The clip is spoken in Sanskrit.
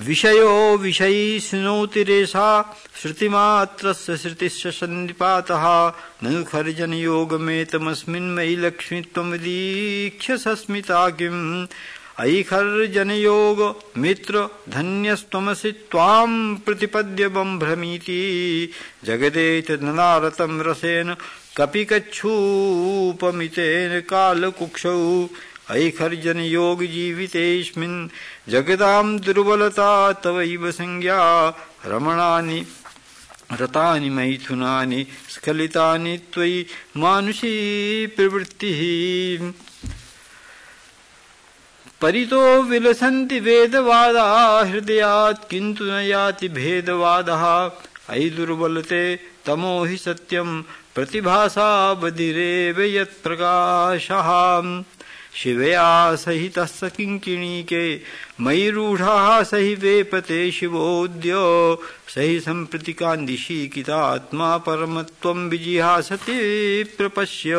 विषयो विषयी शृणोति रेषा श्रुतिमात्रस्य श्रुतिश्च सन्निपातः ननु खर्जनयोगमेतमस्मिन् मयि लक्ष्मी त्वमदीक्ष्य सस्मिता किम् अयि खर्जनयोग मित्र धन्यस्त्वमसि त्वां प्रतिपद्य बम्भ्रमीति जगदेतदनारतं रसेन कपिकच्छूपमितेन कालकुक्षौ अयि खर्जनयोग जीवितेऽस्मिन् जगतां दुर्बलता तवैव संज्ञा रमणानि रतानि मैथुनानि स्खलितानि त्वयि मानुषी प्रवृत्तिः परितो विलसन्ति वेदवादा हृदयात् किन्तु न याति भेदवादः अयि दुर्बलते तमो हि सत्यं प्रतिभासा बधिरेव यत्प्रकाशः शिवया सहितस्य किङ्किणीके मयि रूढाः सहि वेपते शिवोऽद्य सहि सम्प्रति कान्दिशीकितात्मा परमत्वं विजिहासति प्रपश्य